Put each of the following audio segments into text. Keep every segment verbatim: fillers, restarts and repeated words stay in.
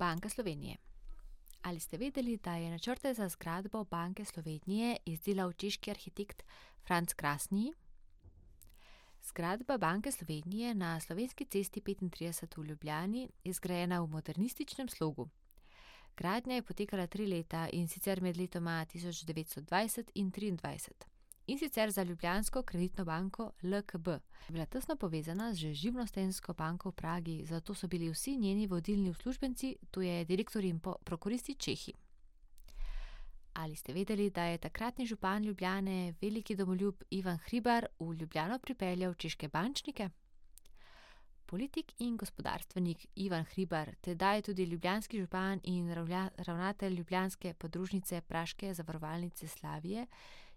Banka Slovenije. Ali ste vedeli, da je načrte za zgradbo Banke Slovenije izdelal češki arhitekt Franc Krasny? Zgradba Banke Slovenije na Slovenski cesti petintrideset v Ljubljani je zgrajena v modernističnem slogu. Gradnja je potekala tri leta, in sicer med letoma tisoč devetsto dvajset in triindvajset. In sicer za Ljubljansko kreditno banko L K B. Je bila tesno povezana z Živnostenjsko banko v Pragi, zato so bili vsi njeni vodilni uslužbenci, to je direktorji in prokuristi, Čehi. Ali ste vedeli, da je takratni župan Ljubljane, veliki domoljub Ivan Hribar, v Ljubljano pripeljal češke bančnike? Politik in gospodarstvenik Ivan Hribar, tedaj tudi ljubljanski župan in ravnatelj ljubljanske podružnice Praške zavarovalnice Slavije,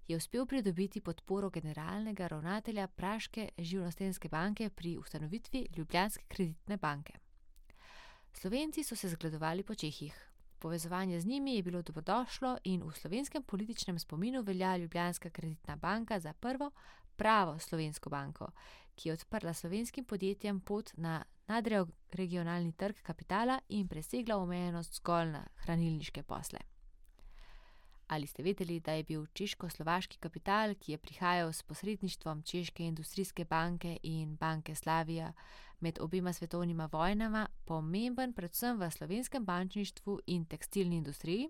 je uspel pridobiti podporo generalnega ravnatelja Praške Živnostenjske banke pri ustanovitvi Ljubljanske kreditne banke. Slovenci so se zgledovali po Čehih. Povezovanje z njimi je bilo dobrodošlo in v slovenskem političnem spominu velja Ljubljanska kreditna banka za prvo pravo slovensko banko, ki je odprla slovenskim podjetjem pot na nadregionalni trg kapitala in presegla omejenost zgolj na hranilniške posle. Ali ste vedeli, da je bil češko-slovaški kapital, ki je prihajal s posredništvom Češke industrijske banke in Banke Slavija med obema svetovnima vojnama, pomemben predvsem v slovenskem bančništvu in tekstilni industriji?